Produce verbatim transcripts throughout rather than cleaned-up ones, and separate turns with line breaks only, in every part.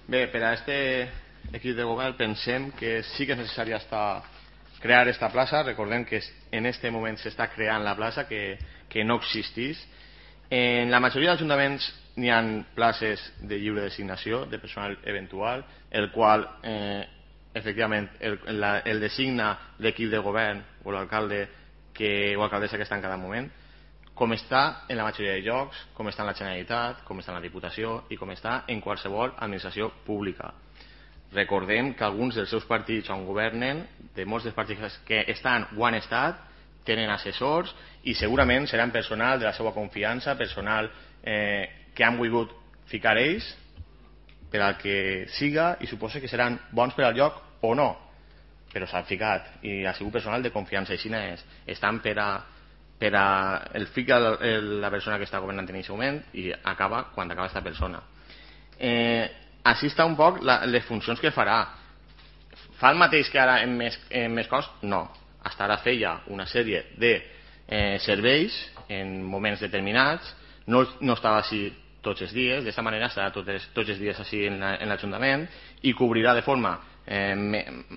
Bé, per a aquest equip de govern pensem que sí que és necessari estar, crear aquesta plaça. Recordem que en aquest moment s'està creant la plaça, que, que no existís. En la majoria d'ajuntaments n'hi ha places de lliure designació de personal eventual, el qual eh, efectivament el, la, el designa l'equip de govern o l'alcalde que, o alcaldessa que està en cada moment, com està en la majoria de llocs, com està en la Generalitat, com està en la Diputació i com està en qualsevol administració pública. Recordem que alguns dels seus partits on governen, de molts dels partits que estan o han estat, tenen assessors i segurament seran personal de la seva confiança, personal eh, que han volgut ficar ells per al que siga, i suposo que seran bons per al lloc o no, però s'han ficat i ha sigut personal de confiança. Així és, estan per a per a el fica la persona que està governant en aquest moment i acaba quan acaba aquesta persona. Eh, així està un poc la, les funcions que farà. Fa el mateix que ara en més, en més cos? No. Hasta ara feia una sèrie de eh, serveis en moments determinats, no, no estava així tots els dies, d'aquesta manera estarà tots, tots els dies així en l'Ajuntament i cobrirà de forma eh,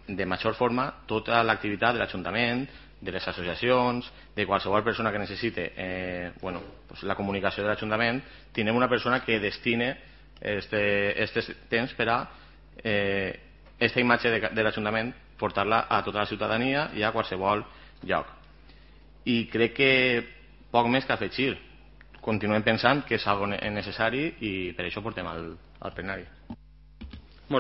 de major forma tota l'activitat de l'Ajuntament, de les associacions, de qualsevol persona que necessite eh, bueno, pues la comunicació de l'Ajuntament. Tindrem una persona que destine este, este temps per a eh, esta imatge de, de l'Ajuntament portar-la a tota la ciutadania i a qualsevol lloc. I crec que poc més que afegir. Continuem pensant que és algo necessari i per això portem al, al plenari.